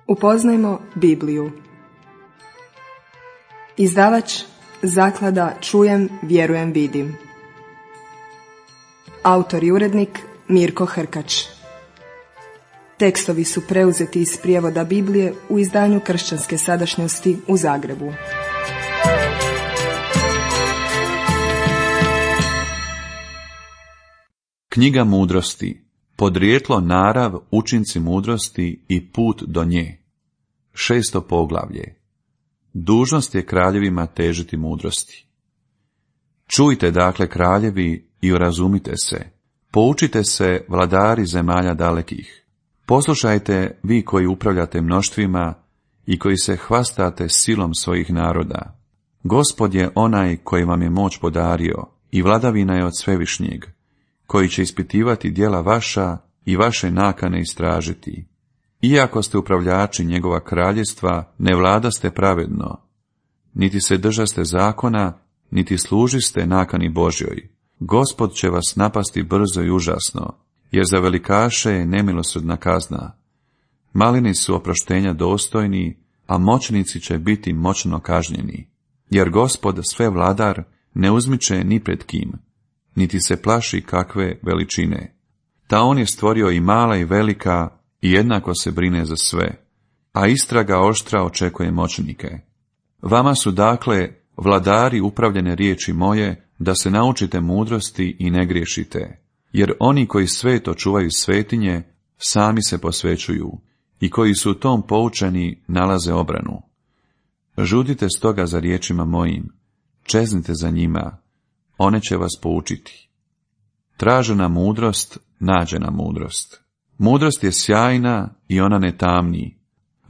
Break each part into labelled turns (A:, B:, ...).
A: Upoznajmo Bibliju. Izdavač Zaklada Čujem, vjerujem, vidim. Autor i urednik Mirko Hrkač. Tekstovi su preuzeti iz prijevoda Biblije u izdanju Kršćanske sadašnjosti u Zagrebu.
B: Knjiga mudrosti. Podrijetlo, narav, učinci mudrosti i put do nje. 6. poglavlje. Dužnost je kraljevima težiti mudrosti. Čujte dakle, kraljevi, i urazumite se. Poučite se, vladari zemalja dalekih. Poslušajte, vi koji upravljate mnoštvima i koji se hvastate silom svojih naroda. Gospod je onaj koji vam je moć podario i vladavina je od Svevišnjeg, koji će ispitivati djela vaša i vaše nakane istražiti. Iako ste upravljači njegova kraljevstva, ne vladaste pravedno, niti se držaste zakona, niti služiste nakani Božjoj. Gospod će vas napasti brzo i užasno, jer za velikaše je nemilosrdna kazna. Malini su oproštenja dostojni, a moćnici će biti moćno kažnjeni. Jer Gospod sve vladar ne uzmiče ni pred kim, niti se plaši kakve veličine. Ta on je stvorio i mala i velika, i jednako se brine za sve, a istraga oštra očekuje moćnike. Vama su dakle, vladari, upravljene riječi moje, da se naučite mudrosti i ne griješite, jer oni koji sveto čuvaju svetinje, sami se posvećuju, i koji su u tom poučeni nalaze obranu. Žudite stoga za riječima mojim, čeznite za njima, one će vas poučiti. Tražena mudrost, nađena mudrost. Mudrost je sjajna i ona ne tamni.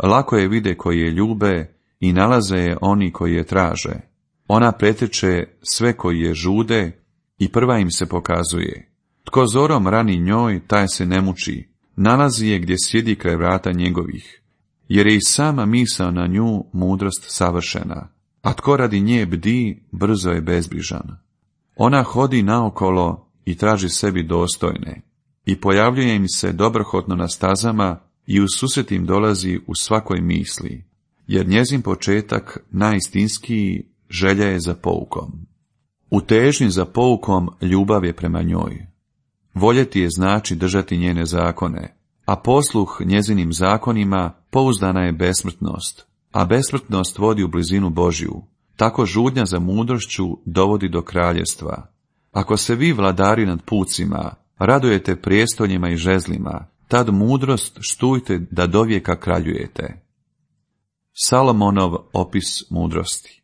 B: Lako je vide koji je ljube i nalaze je oni koji je traže. Ona pretječe sve koji je žude i prva im se pokazuje. Tko zorom rani njoj, taj se ne muči. Nalazi je gdje sjedi kraj vrata njegovih, jer je i sama misao na nju mudrost savršena. A tko radi nje bdi, brzo je bezbrižan. Ona hodi naokolo i traži sebi dostojne. I pojavljuje im se dobrohotno na stazama i u susret im dolazi u svakoj misli, jer njezin početak najistinskiji želja je za poukom. U težnji za poukom ljubav je prema njoj. Voljeti je znači držati njene zakone, a posluh njezinim zakonima pouzdana je besmrtnost, a besmrtnost vodi u blizinu Božju. Tako žudnja za mudrošću dovodi do kraljevstva. Ako se vi, vladari nad pucima, radujete prijestoljima i žezlima, tad mudrost štujte da dovijeka kraljujete. Salomonov opis mudrosti.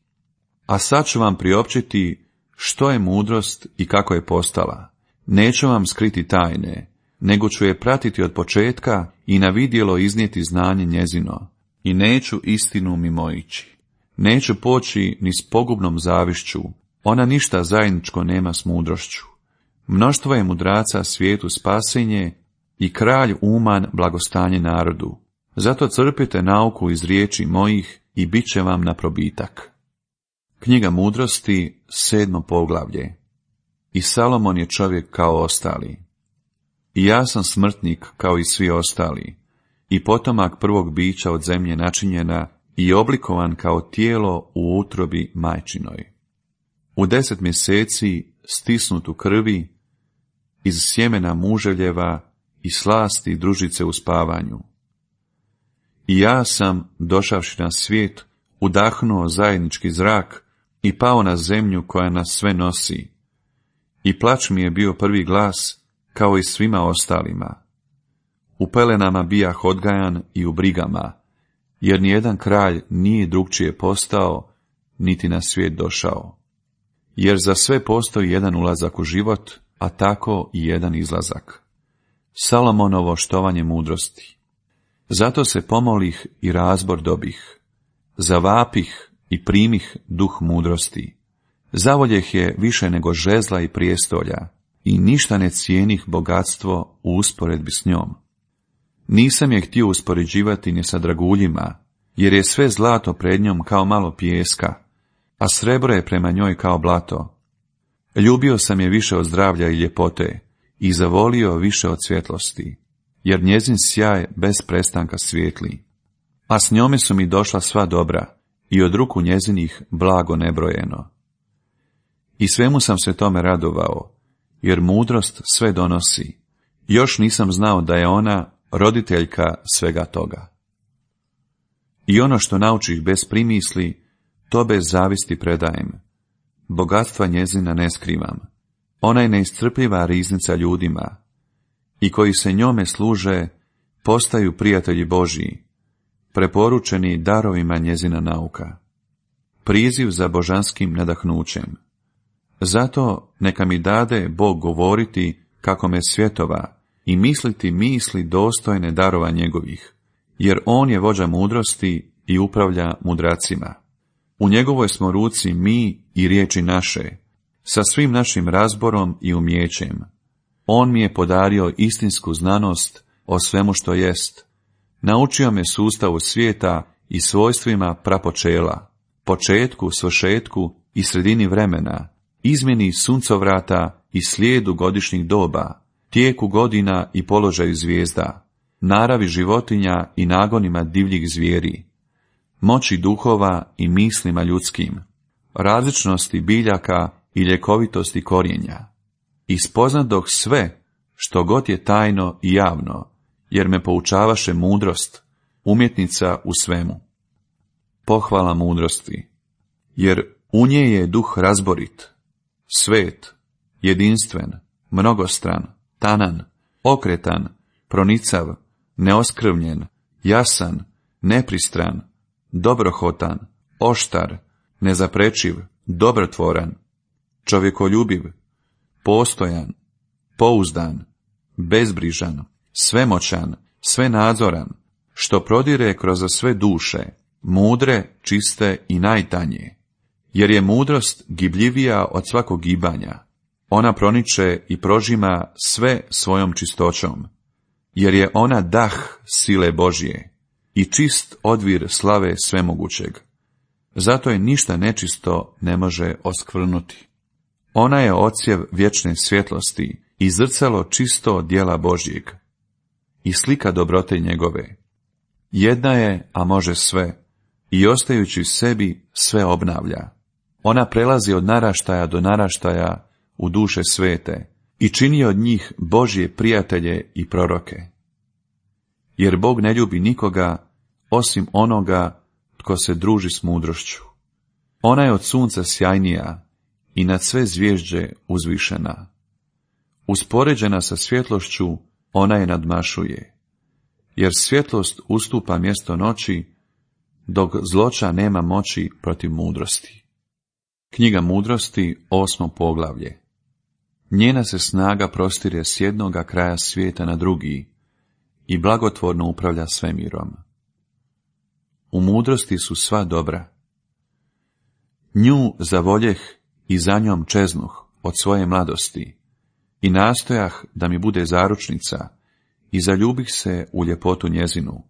B: A sad ću vam priopćiti što je mudrost i kako je postala. Neću vam skriti tajne, nego ću je pratiti od početka i na vidjelo iznijeti znanje njezino. I neću istinu mimoići. Neću poći ni s pogubnom zavišću, ona ništa zajedničko nema s mudrošću. Mnoštvo je mudraca svijetu spasenje i kralj uman blagostanje narodu. Zato crpite nauku iz riječi mojih i bit će vam na probitak. Knjiga mudrosti, 7. poglavlje. I Salomon je čovjek kao ostali. I ja sam smrtnik kao i svi ostali, i potomak prvog bića od zemlje načinjena i oblikovan kao tijelo u utrobi majčinoj. U 10 mjeseci stisnut u krvi, iz sjemena muželjeva i slasti družice u spavanju. I ja sam, došavši na svijet, udahnuo zajednički zrak i pao na zemlju koja nas sve nosi. I plać mi je bio prvi glas, kao i svima ostalima. U pelenama bijah odgajan i u brigama, jer nijedan kralj nije drugčije postao, niti na svijet došao. Jer za sve postoji jedan ulazak u život, a tako i jedan izlazak. Salomonovo štovanje mudrosti. Zato se pomolih i razbor dobih. Zavapih i primih duh mudrosti. Zavoljeh je više nego žezla i prijestolja i ništa ne cijenih bogatstvo u usporedbi s njom. Nisam je htio uspoređivati ni sa draguljima, jer je sve zlato pred njom kao malo pijeska, a srebro je prema njoj kao blato. Ljubio sam je više od zdravlja i ljepote i zavolio više od svjetlosti, jer njezin sjaj bez prestanka svijetli. a s njome su mi došla sva dobra i od ruku njezinih blago nebrojeno. I svemu sam se tome radovao, jer mudrost sve donosi. Još nisam znao da je ona roditeljka svega toga. I ono što naučih bez primisli, to bez zavisti predajem. Bogatstva njezina ne skrivam. Ona je neiscrpljiva riznica ljudima, i koji se njome služe, postaju prijatelji Božji, preporučeni darovima njezina nauka. Priziv za božanskim nadahnućem. Zato neka mi dade Bog govoriti kako me svjetova i misliti misli dostojne darova njegovih, jer on je vođa mudrosti i upravlja mudracima. U njegovoj smo ruci mi i riječi naše, sa svim našim razborom i umjećem. On mi je podario istinsku znanost o svemu što jest. Naučio me sustavu svijeta i svojstvima prapočela, početku, svršetku i sredini vremena, izmjeni suncovrata i slijedu godišnjih doba, tijeku godina i položaju zvijezda, naravi životinja i nagonima divljih zvijeri, moći duhova i mislima ljudskim, različnosti biljaka i ljekovitosti korijenja. I spoznadoh sve što god je tajno i javno, jer me poučavaše mudrost, umjetnica u svemu. Pohvala mudrosti, jer u nje je duh razborit, svet, jedinstven, mnogostran, tanan, okretan, pronicav, neoskrvljen, jasan, nepristran, dobrohotan, oštar, nezaprečiv, dobrotvoran, čovjekoljubiv, postojan, pouzdan, bezbrižan, svemoćan, svenadzoran, što prodire kroz sve duše, mudre, čiste i najtanje. Jer je mudrost gibljivija od svakog gibanja. Ona proniče i prožima sve svojom čistoćom. Jer je ona dah sile Božje i čist odvir slave svemogućeg. Zato je ništa nečisto ne može oskvrnuti. Ona je odsjev vječne svjetlosti i zrcalo čisto djela Božjeg i slika dobrote njegove. Jedna je, a može sve, i ostajući sebi sve obnavlja. Ona prelazi od naraštaja do naraštaja u duše svete i čini od njih Božje prijatelje i proroke. Jer Bog ne ljubi nikoga osim onoga tko se druži s mudrošću. Ona je od sunca sjajnija i nad sve zvježđe uzvišena. Uspoređena sa svjetlošću, ona je nadmašuje, jer svjetlost ustupa mjesto noći, dok zloća nema moći protiv mudrosti. Knjiga mudrosti, 8. poglavlje. Njena se snaga prostire s jednoga kraja svijeta na drugi i blagotvorno upravlja svemirom. U mudrosti su sva dobra. Nju zavoljeh i za njom čeznuh od svoje mladosti i nastojah da mi bude zaručnica i zaljubih se u ljepotu njezinu.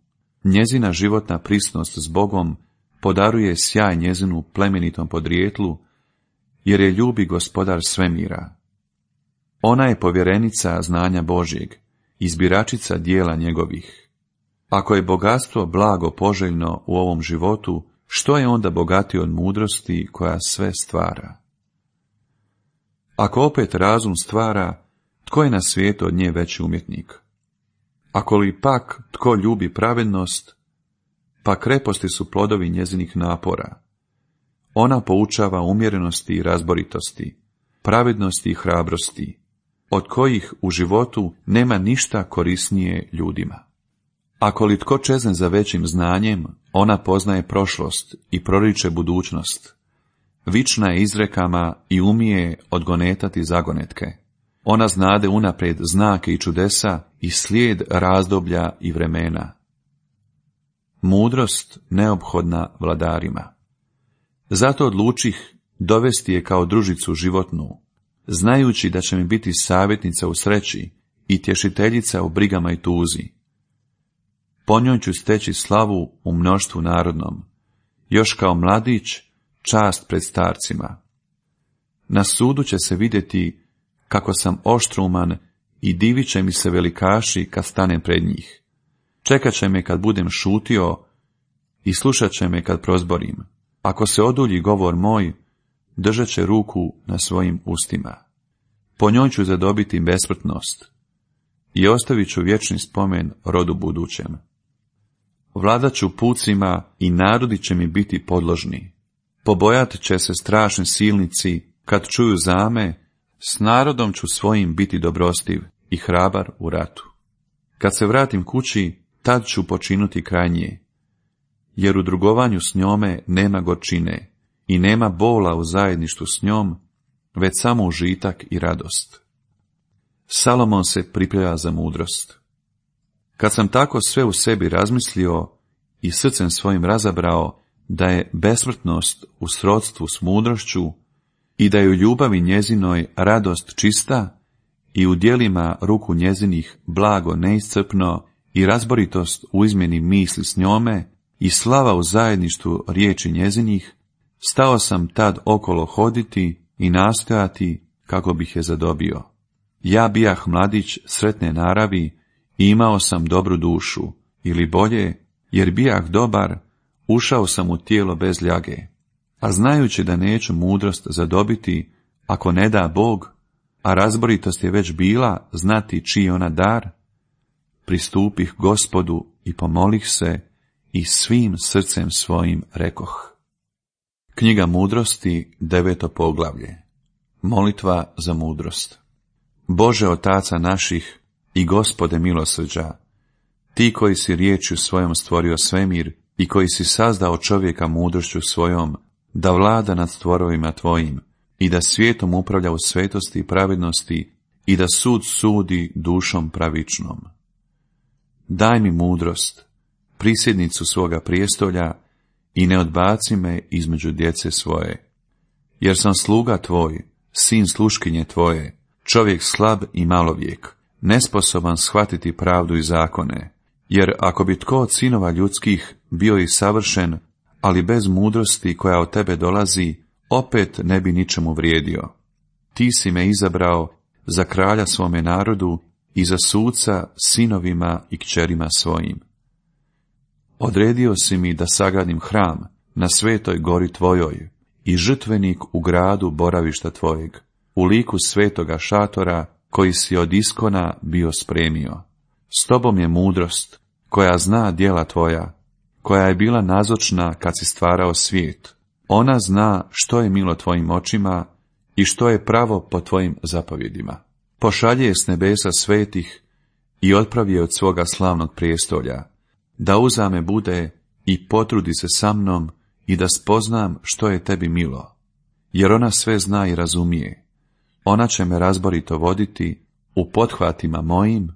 B: Njezina životna prisnost s Bogom podaruje sjaj njezinu plemenitom podrijetlu, jer je ljubi gospodar svemira. Ona je povjerenica znanja Božjeg, izbiračica dijela njegovih. Ako je bogatstvo blago poželjno u ovom životu, što je onda bogatije od mudrosti koja sve stvara? Ako opet razum stvara, tko je na svijetu od nje veći umjetnik? Ako li pak tko ljubi pravednost, pa kreposti su plodovi njezinih napora. Ona poučava umjerenosti i razboritosti, pravednosti i hrabrosti, od kojih u životu nema ništa korisnije ljudima. Ako li tko čezne za većim znanjem, ona poznaje prošlost i proriče budućnost. Vična je izrekama i umije odgonetati zagonetke. Ona znade unaprijed znake i čudesa i slijed razdoblja i vremena. Mudrost neophodna vladarima. Zato odlučih dovesti je kao družicu životnu, znajući da će mi biti savjetnica u sreći i tješiteljica u brigama i tuzi. Po njoj ću steći slavu u mnoštvu narodnom, još kao mladić čast pred starcima. Na sudu će se vidjeti kako sam oštruman i divit će mi se velikaši kad stanem pred njih. Čekat će me kad budem šutio i slušat će me kad prozborim. Ako se odulji govor moj, držat će ruku na svojim ustima. Po njoj ću zadobiti besmrtnost i ostavit ću vječni spomen rodu budućem. Vladat ću pucima i narodi će mi biti podložni. Pobojat će se strašni silnici kad čuju zame, s narodom ću svojim biti dobrostiv i hrabar u ratu. Kad se vratim kući, tad ću počinuti kraj nje, jer u drugovanju s njome nema gorčine i nema bola u zajedništvu s njom, već samo užitak i radost. Salomon se priprema za mudrost. Kad sam tako sve u sebi razmislio i srcem svojim razabrao da je besmrtnost u srodstvu s mudrošću i da je u ljubavi njezinoj radost čista i u djelima ruku njezinih blago neiscrpno i razboritost u izmjeni misli s njome i slava u zajedništvu riječi njezinih, stao sam tad okolo hoditi i nastojati kako bih je zadobio. Ja bijah mladić sretne naravi i imao sam dobru dušu, ili bolje, jer bijah dobar, ušao sam u tijelo bez ljage, a znajući da neću mudrost zadobiti, ako ne da Bog, a razboritost je već bila znati čiji ona dar, pristupih Gospodu i pomolih se i svim srcem svojim rekoh. Knjiga mudrosti, 9. poglavlje. Molitva za mudrost. Bože otaca naših i Gospode milosrđa, ti koji si riječju svojom stvorio svemir i koji si sazdao čovjeka mudrošću svojom, da vlada nad stvorovima tvojim i da svijetom upravlja u svetosti i pravednosti i da sud sudi dušom pravičnom. Daj mi mudrost, prisjednicu svoga prijestolja i ne odbaci me između djece svoje. Jer sam sluga tvoj, sin sluškinje tvoje, čovjek slab i malovijek, nesposoban shvatiti pravdu i zakone, jer ako bi tko od sinova ljudskih bio i savršen, ali bez mudrosti koja od tebe dolazi, opet ne bi ničemu vrijedio. Ti si me izabrao za kralja svome narodu i za suca sinovima i kćerima svojim. Odredio si mi da sagradim hram na svetoj gori tvojoj i žrtvenik u gradu boravišta tvojeg, u liku svetoga šatora koji si od iskona bio spremio. S tobom je mudrost, koja zna djela tvoja, koja je bila nazočna kad si stvarao svijet. Ona zna što je milo tvojim očima i što je pravo po tvojim zapovjedima. Pošalje je s nebesa svetih i otpravi je od svoga slavnog prijestolja, da uzame bude i potrudi se sa mnom i da spoznam što je tebi milo, jer ona sve zna i razumije. Ona će me razborito voditi u pothvatima mojim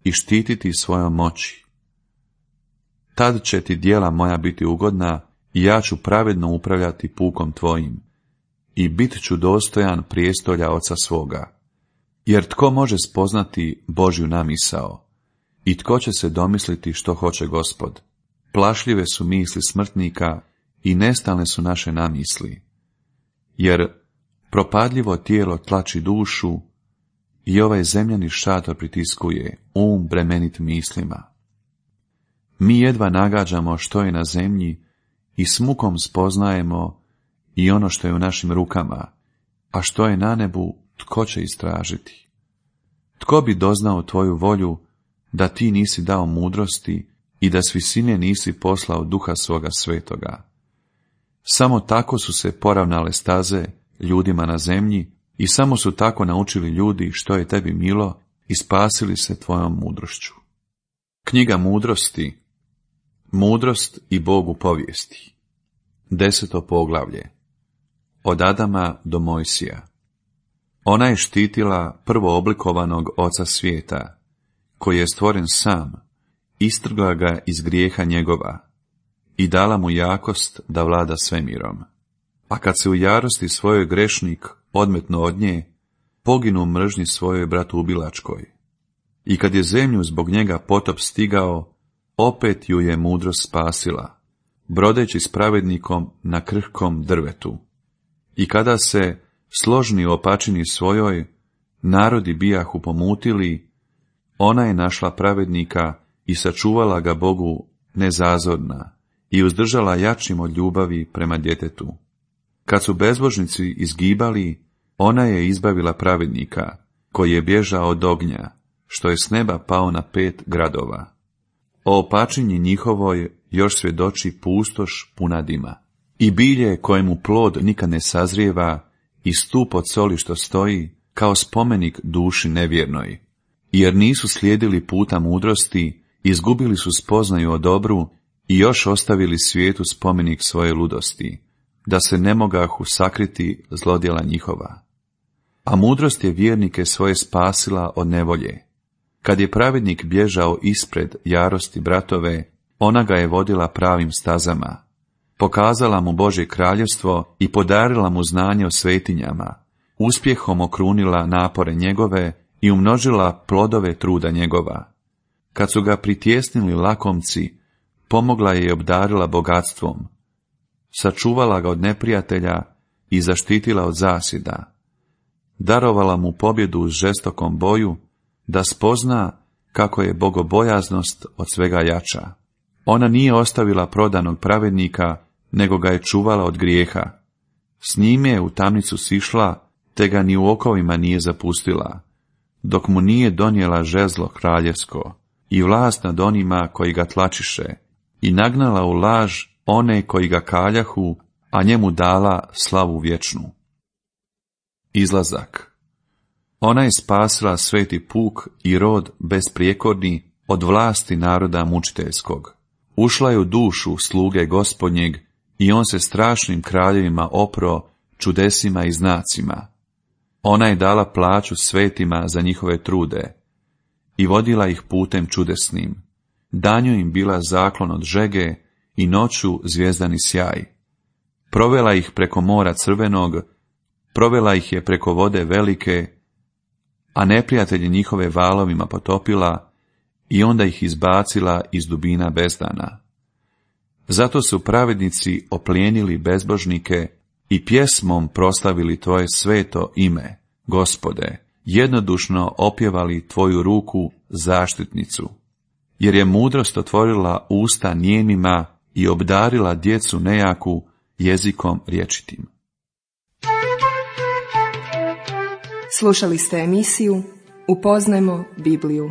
B: i štititi svojom moći. Tad će ti djela moja biti ugodna i ja ću pravedno upravljati pukom tvojim i bit ću dostojan prijestolja oca svoga. Jer tko može spoznati Božju namisao i tko će se domisliti što hoće Gospod? Plašljive su misli smrtnika i nestalne su naše namisli. Jer propadljivo tijelo tlači dušu i ovaj zemljani šator pritiskuje bremenit mislima. Mi jedva nagađamo što je na zemlji i s mukom spoznajemo i ono što je u našim rukama, a što je na nebu, tko će istražiti? Tko bi doznao tvoju volju da ti nisi dao mudrosti i da s visine nisi poslao duha svoga svetoga? Samo tako su se poravnale staze ljudima na zemlji i samo su tako naučili ljudi što je tebi milo i spasili se tvojom mudrošću. Knjiga mudrosti, mudrost i Bogu povijesti. 10. poglavlje. Od Adama do Mojsija. Ona je štitila prvooblikovanog oca svijeta, koji je stvoren sam, istrgla ga iz grijeha njegova i dala mu jakost da vlada svemirom. A kad se u jarosti svojoj grešnik odmetno od nje, poginu mržnji svojoj bratubilačkoj. I kad je zemlju zbog njega potop stigao, opet ju je mudrost spasila, brodeći s pravednikom na krhkom drvetu. I kada se složni u opačini svojoj, narodi bijahu pomutili, ona je našla pravednika i sačuvala ga Bogu nezazorna i uzdržala jačim od ljubavi prema djetetu. Kad su bezbožnici izgibali, ona je izbavila pravednika, koji je bježao od ognja, što je s neba pao na 5 gradova. O opačinji njihovoj još svjedoči pustoš puna dima. I bilje kojemu plod nikad ne sazrijeva, i stup od soli što stoji, kao spomenik duši nevjernoj. Jer nisu slijedili puta mudrosti, izgubili su spoznaju o dobru i još ostavili svijetu spomenik svoje ludosti, da se ne mogahu sakriti zlodjela njihova. A mudrost je vjernike svoje spasila od nevolje. Kad je pravednik bježao ispred jarosti bratove, ona ga je vodila pravim stazama, pokazala mu Božje kraljevstvo i podarila mu znanje o svetinjama, uspjehom okrunila napore njegove i umnožila plodove truda njegova. Kad su ga pritjesnili lakomci, pomogla je i obdarila bogatstvom, sačuvala ga od neprijatelja i zaštitila od zasjeda. Darovala mu pobjedu u žestokom boju, da spozna kako je bogobojaznost od svega jača. Ona nije ostavila prodanog pravednika, nego ga je čuvala od grijeha. S njime je u tamnicu sišla, te ga ni u okovima nije zapustila, dok mu nije donijela žezlo kraljevsko i vlast nad onima koji ga tlačiše, i nagnala u laž one koji ga kaljahu, a njemu dala slavu vječnu. Izlazak. Ona je spasila sveti puk i rod besprijekorni od vlasti naroda mučiteljskog. Ušla je u dušu sluge Gospodnjeg i on se strašnim kraljevima opro čudesima i znacima. Ona je dala plaću svetima za njihove trude i vodila ih putem čudesnim. Danju im bila zaklon od žege i noću zvijezdani sjaj. Provela ih preko mora crvenog, provela ih je preko vode velike, a neprijatelji njihove valovima potopila i onda ih izbacila iz dubina bezdana. Zato su pravednici oplijenili bezbožnike i pjesmom proslavili tvoje sveto ime, Gospode, jednodušno opjevali tvoju ruku zaštitnicu. Jer je mudrost otvorila usta nijemima i obdarila djecu nejaku jezikom rječitim.
A: Slušali ste emisiju Upoznajmo Bibliju.